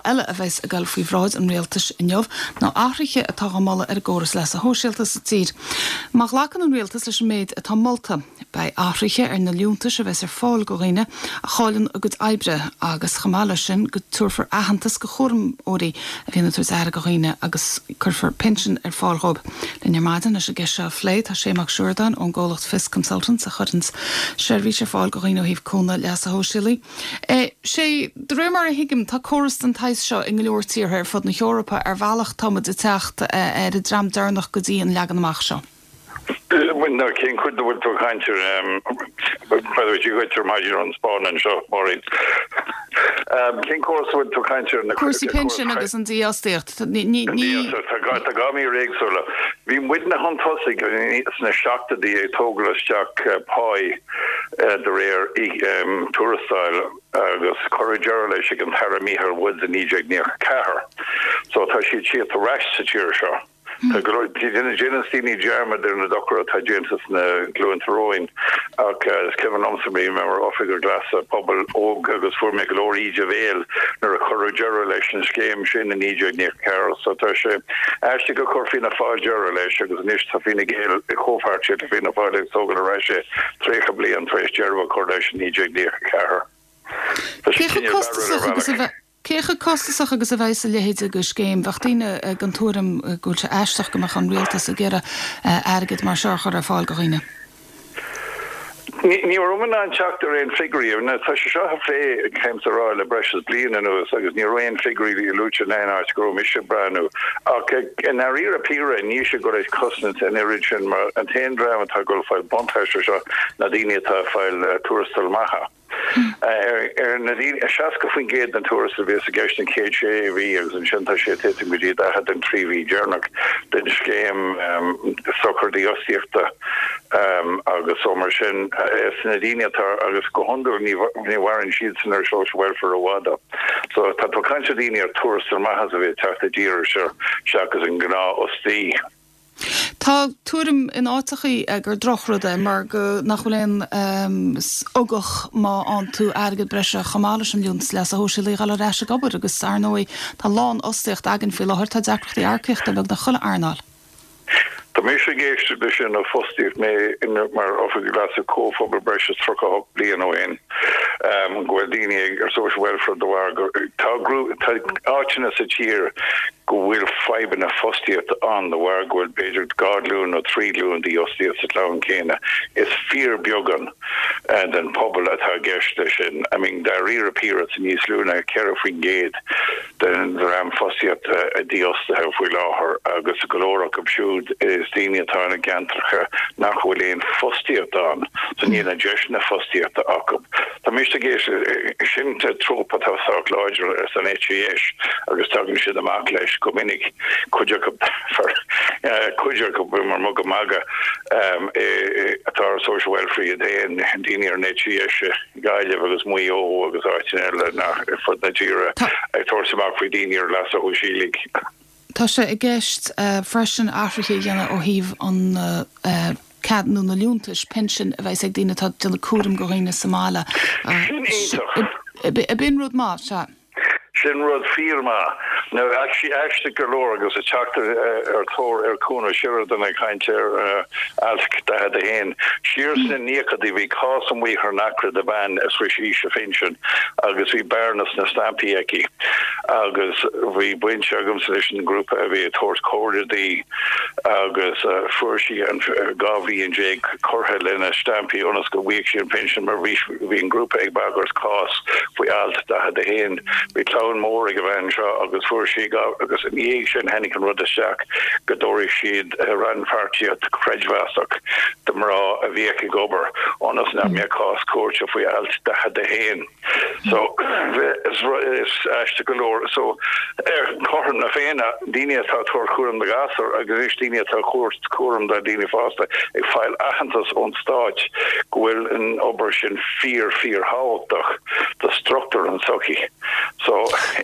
eile a bheas ag dul faoi bhráid an rialtais inniu ná athruithe atá á moladh ar an gcóras leasa shóisialta sa tír. Má ghlacann an rialtas leis an méid atá molta, beidh athruithe ar na liúntais a bheas ar fáil go dhaoine a chailleann a gcuid oibre agus chomh maith leis sin go tabharfar aitheantas go chúramóirí a bhíonn ag tabhairt aire go dhaoine agus cuirfear pinsean ar fáil dhóibh. Linn ar maidin leis an gceist seo a phlé tá Shane Mac Siúrdáin ón gcomhlacht Fios Consultants a chuireanns seirbhís ar fáil go dhaoine ó thaobh cúnamh leasa shóisialaigh. Sé, de réir mar a thuigim, tá córas den tsaghas seo i ngo leor tíortha ar fud na hEorpa. Ar bhealach tá muid ag teacht ar an dream deireanach go dtí an leagan amach seo. Bhuel, now, cén chuid a bhfuil tú ag caint air? By the way, Dia dhuit ar maidin ón Spáinn anseo, Máirín. Cén córas a bhfuil tú ag caint air? Cúrsaí pinsin agus an dífhostaíocht. Ní. Tá dhá mhír éagsúla. Bhí muidne chun tosaigh sna seachtóidí ag tógáil isteach páí de réir tuarastail agus cuireadh deireadh leis ag an tAire Micheál Woods i 1994. So tá siad siad ar ais sa tír seo. Tá go leor, déanann daoine dearmad ar na dochar atá déanta sna glúnta romhainn ach is cuimhin liomsa, bhí mé mar oifigeach leasa pobail óg agus fuair mé go leor íde bhéil nuair a cuireadh deireadh leis an scéim sin i 1994 so tá sé aisteach go chuir Fianna Fáil deireadh leis agus anois tá Fine Gael i gcomhpháirtíocht le Fianna Fáil ag tógáil ar ais é 30 bliain tar éis deireadh a chur leis i 1994. Tá sé Cé chomh cineál costasach barrúil ar agus a bhealach. bheith Cé chomh costasach agus a bheidh a leithéid de scéim? Bheadh daoine den tuairim go bhfuil sé aisteach go mbeadh an rialtas ag iarraidh airgead mar seo a chur ar fáil do dhaoine. Ní raibh mé in ann teacht ar aon figiúirí. Tá sé seo á phlé, caithfimse a rá, le breis is bliain anuas agus ní raibh aon figiúirí luaite in aon áit go raibh mise ag breathnú. Ach i ndáiríre píre, níl sé ag dul ag cosaint an oiread sin mar an t-aon dream atá ag dul ag fáil buntáiste seo ná daoine atá ag fáil tuarastal maithe. Ar na daoine, 60% den tuarastal a bhíos i gceist an chéad sé mhí agus ansin tá sé ag titim go dtí 40 an 3 mhí deireanach den scéim sochar dífhostaíochta agus so mar sin is na daoine atá agus go hiondúil ní mhaireann siadsan ar social welfare i bhfad. So tá tú ag caint ar daoine ar tuarastal maith a bhí ag teacht i dtír air seo seachas an gnáthfhostaí. Tá tuairim in áiteachaí gur drochrud é mar go nach bhfuil aon ugach má fhaigheann tú airgead breise chomh maith leis an liúntas leasa shóisialaigh a dhul ar ais ag obair agus ar ndóigh tá lánfhostaíocht againn faoi láthair, tá deacrachtaí earcaíochta i beagnach chuile earnáil. Tá mise ag éisteacht leis sin ó fostaíodh mé mar Oifigeach Leasa Comhphobail breis is 38 bliain ó shin go bhfuil daoine ar social welfare de bharr go tá tá áiteanna sa tír go bhfuil fadhbanna fostaíochta ann de bharr go bhfuil b'fhéidir 2 ghlúin nó 3 ghlúin dífhostaíocht sa chlann céanna. Is fíorbheagán den phobal atá i gceist leis sin. I mean, dáiríre píre, tá níos lú ná 4% den dream fostaíochta dífhostaithe faoi láthair agus go leor acu siúd is daoine atá ina gceantracha nach bhfuil aon fostaíocht ann, so níl na deiseanna fostaíochta acu. Tá mise ag éisteacht, sin tróp atá sách láidir san eite dheis agus tagann siad amach leis go minic, cuid acu, cuid acu mar muga maga atá ar social welfare iad féin, daoine ar an eite dheis i Gaillimh agus Maigh Eo agus áiteanna eile ar fud na tíre ag tabhairt amach faoi daoine ar leasa shóisialaigh. Tá sé i gceist freisin athruithe a dhéanamh ó thaobh an cead nó na liúntais pinsin a bheas ag daoine atá ag déanamh cúram go dhaoine sa mbaile. Sin iontach. B'in rud maith, sea. Sin rud fíor maith. Now, aisteach go leor agus ag teacht ar tóir ar Chúnamh Sheridan ag caint ar Alt 41, siar sna naochadaí bhí cás amuigh thar n-acra de bhean a shroich aois a phinsin agus bhí bearna sna stampaí aici. agus bhí baint agamsa leis an ngrúpa a bhí ag tabhairt comhairle di agus fuair sí an 12 bhliain curtha lena stampaí ionas go bhfaigheadh sí an pinsean mar bhí bhí an grúpa ag bagairt cás faoi alt 41. Bhí clann mór ag an bhean seo agus fuair sí agus ina dhiaidh sin tháinig an rud isteach go dtabharfadh siad rannpháirtíocht chreidmheasach do mhná a bhíodh ag obair ionas nach mbeadh cás cúirte faoi alt 41. So, is aisteach go leor. So, ar chothrom na Féinne, daoine atá ag tabhairt cúram do ghasúir agus anois daoine atá ag tabhairt cúram do daoine fásta ag fáil aitheantas ón stáit go bhfuil an obair sin fíor, fíor thábhachtach do struchtúr an tsochaí. So,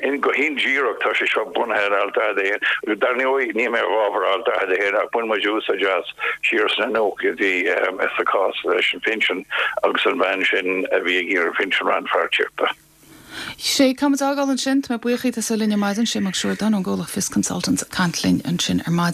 in, go hindíreach tá sé seo bunaithe ar Alt 41. Agus dar ndóigh, níl mé i bhfabhar Alt 41 ach bhain muid úsáid as. siar sna nóchaidí sa chás leis an phinsean agus an bhean sin a bhí ag iarraidh pinsean rannpháirtíochta. Sé, caithfidh muid fágáil ansin. Tá mé buíoch díot as a bheith linn ar maidin. Sé Mac Siúrdáin ón gcomhlacht Fios Consultants ag caint linn ansin ar maidin.